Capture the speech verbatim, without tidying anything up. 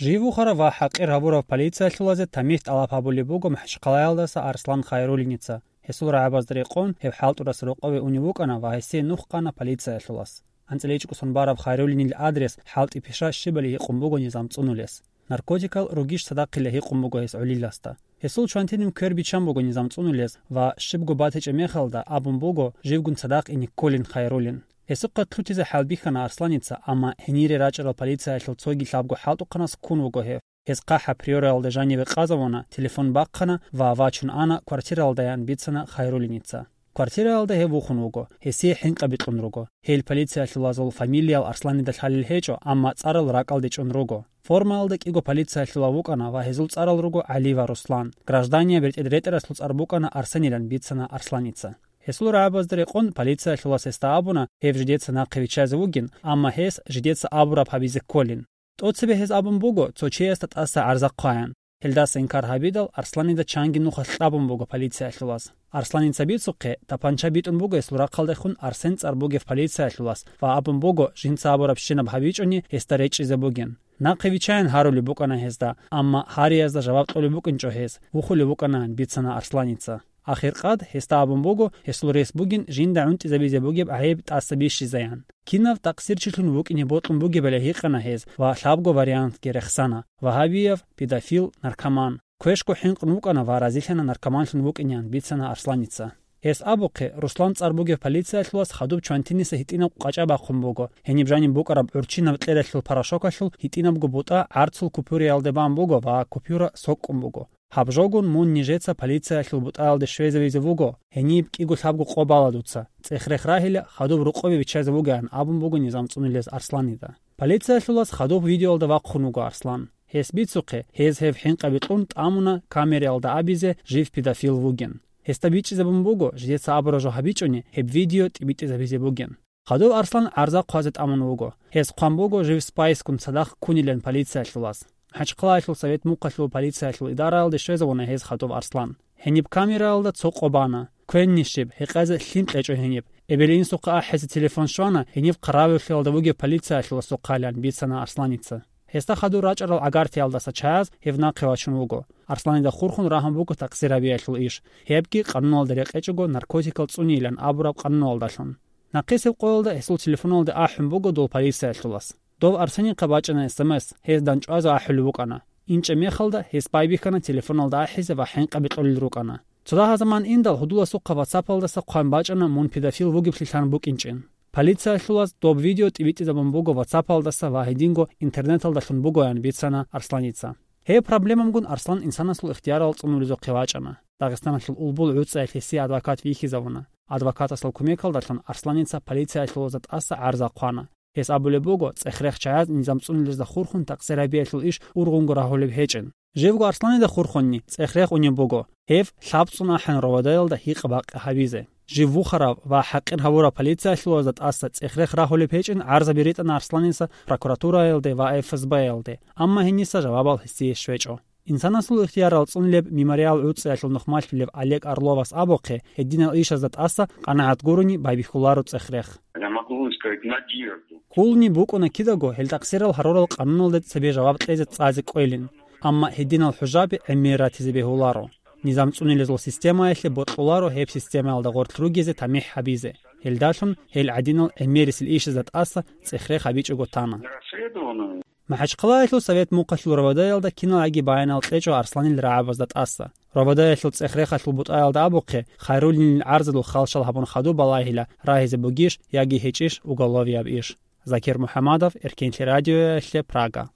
Жив вухарав ва хӀакъир гьабурав полициялъулазе тамихӀ тӀалаб гьабулеб буго МахӀачхъалаялдаса Арслан Хайруллиница. Гьесул рагӀабазда рекъон гьев ХӀалтӀурас рокъове унев вукӀана ва гьесие нух хъана полициялъулас. АнцӀила ичӀго сон бараб Хайруллинил адрес ХӀалтӀи пиша щибали гьикъун буго низам цӀунулес. Наркотикал ругищ цадахъила гьикъун буго гьес гӀолиласда. Гьесул чвантинив квер биччан буго низам цӀунулес ва щибго батичӀеб мехалда абун буго живгун цадахъ ине кколин Хайруллин. Гьесухъа лъутизе хӀалбихьана Арсланица, амма гьенире рачӀарал полициялъул цоги лъабго хӀалтӀухъанас ккун вуго гьев. Гьес хъахӀаб Приораялда жаниве къазавуна, телефон бахъана ва вачун ана квартираялдаян бицана Хайруллиница. Квартираялда гьев вухун вуго, гьесие хӀинкъаби кьун руго. Гьел полициялъулазул фамилиял Арсланида лъалел гьечӀо, амма цӀарал ракӀалде чӀун руго. Формаялда кӀиго полициялъулав вукӀана ва гьезул цӀарал руго ГӀали ва Руслан. Гражданияб бертӀед ретӀарасул цӀар букӀана Арсенилан бицана Арсланица. Гьесул рагӀабазда рекъон полициялъулас гьесда абуна, гьев жидеца нахъе виччазе вугин, амма гьес жидеца абураб гьабизе кколин. ТӀоцебе гьез абун буго, цо чиясда тӀаса гӀарза хъваян. Гьелдаса инкар гьабидал, Арсланида чанги нухалъ кьабун буго полициялъулаз. Арсланица бицухъе, тапанча битӀун буго гьесул рахъалдехун Арсен цӀар бугев полициялъулас ва абун буго, жинца абурабщинаб гьабичӀони, гьесда речӀчӀизе бугин. Нахъе виччаян гьарулеб букӀана гьезда, амма гьариязда жаваб кьолеб букӀинчӀо гьез, вухулев вукӀанан бицана Арсланица. Ахиркъад гьесда абун буго, гьесул рес бугин жинда гӀунтӀизабизе бугеб гӀайиб тӀаса бищизаян. Кинав такъсирчилъун вукӀине бокьун бугебали гьикъана гьез ва лъабго вариантги рехсана: вагьабияв, педофил, наркоман. Квешго хӀинкъун вукӀана ва разилъана наркоманлъун вукӀинеян бицана Арсланица. Гьес абухъе, Руслан цӀар бугев полициялъулас хадуб чвантиниса гьитӀинаб къачӀа бахъун буго, гьениб жаниб букӀараб гӀурччинаб кьералъул порошокалъул гьитӀинабго бутӀа гӀарцул купуриялде бан буго ва купюра сокӀкӀун буго. Гьаб жогун мун нижеца полициялъул бутӀаялде щвезавизе вуго, гьениб кӀиго лъабго къо бала дуца, цӀех-рех рагьила, хадуб рукъобе биччазе вугеан абун буго низам цӀунулез Арсланида. Полициялъулас хадуб видеоялда вахъун вуго Арслан. Гьес бицухъе, гьез гьев хӀинкъаби кьун тӀамуна камераялда абизе жив педофил вугин. Гьесда бичӀчӀизабун буго, жидеца абураб жо гьабичӀони, гьеб видео тӀибитӀизабизе бугин. Хадуб Арслан гӀарза хъвазе тӀамун вуго. Гьез хъван буго жив спайсгун цадахъ ккунилан полициялъулас. МахӀачхъалаялъул Совет Мухъалъул полициялъул идараялде щвезавуна гьез хадуб Арслан. Гьениб камераялда цо къо бана. Квенни щиб, гьекъезе лъим кьечӀо гьениб. Эбел-инсухъа ахӀизе телефон щвана, гьениб хъаравуллъиялда вугев полициялъуласухъайилан бицана Арсланица. Гьесда хадур рачӀарал гӀагартиялдаса чаяз гьев нахъе вачун вуго. Арсланида хурхун рагьун буго такъсир гьабиялъул иш, гьебги къануналда рекъечӀого наркотикал цӀунейилан абураб къануналдалъун. Нахъисеб къоялда гьесул телефоналде ахӀун буго дол полициялъулас. Дов Арсенихъа бачӀана эс эм эс, гьез данчӀвазе ахӀулев вукӀана. ИнчӀеб мехалда гьес байбихьана телефоналда ахӀизе ва хӀинкъаби кьолел рукӀана. Цо дагьа заман индал гьудуласухъа ватсапалдаса хъван бачӀана мун педофил вугеблъи лъан букӀинчӀин. Полициялъулаз доб видео тӀибитӀизабун буго ватсапалдаса ва гьединго интернеталдалъун бугоян бицана Арсланица. Гьеб проблемамгун Арслан инсанасул ихтиярал цӀунулезухъе вачӀана. Дагъистаналъул Улбул гӀуцӀаялъ гьесие адвокат вихьизавуна. Адвокатасул кумекалдалъун Арсланица полициялъулазда тӀаса гӀарза хъвана. Гьес абулеб буго, цӀех-рех чаяз низам цӀунулезда хурхун такъсир гьабиялъул иш ургъунго рагьулеб гьечӀин. Живго Арсланида хурхунни цӀех-рех унеб буго. Гьев лъаб цӀун ахӀен РОВД-ялда гьикъа-бакъи гьабизе. Жив вухарав ва хӀакъир гьавурав полициялъулазда тӀаса цӀех-рех рагьулеб гьечӀин гӀарзаби ритӀана Арсланиса прокуратураялде ва Ф С Б-ялде, амма гьениса жавабал гьесие щвечӀо. Инсанасул ихтиярал цӀунулеб Мемориал гӀуцӀиялъул нухмалъулев Олег Орловас абухъе, гьединал ишазда тӀаса къанагӀат гурони байбихьуларо цӀех-рех. Я могу вам сказать, надежду. Кколни букӀуна кидаго гьел такъсирал гьарурал къануналде цебе жаваб кьезе цӀазе кӀвелин, амма гьединал хӀужаби гӀемер ратизе бегьуларо. Низам цӀунилезул системаялъе бокьуларо гьеб системаялда гъорлъ ругезе тамихӀ гьабизе. Гьелдалъун гьел гӀадинал гӀемерисел ишазда тӀаса цӀех-рех гьабичӀого тана. Расследование. МахӀачхъалаялъул Совет Мухъалъул РОВД-ялда киналги баянал кьечӀо Арсланил рагӀабазда тӀаса. РОВД-ялъул цӀех-рехалъул бутӀаялда абухъе, Хайруллинил гӀарзалул халщал гьабун хадуб балагьила, рагьизе бугищ яги гьечӀищ уголовияб иш. Закир МухӀамадов, Эркенлъи радиоялъе, Прага.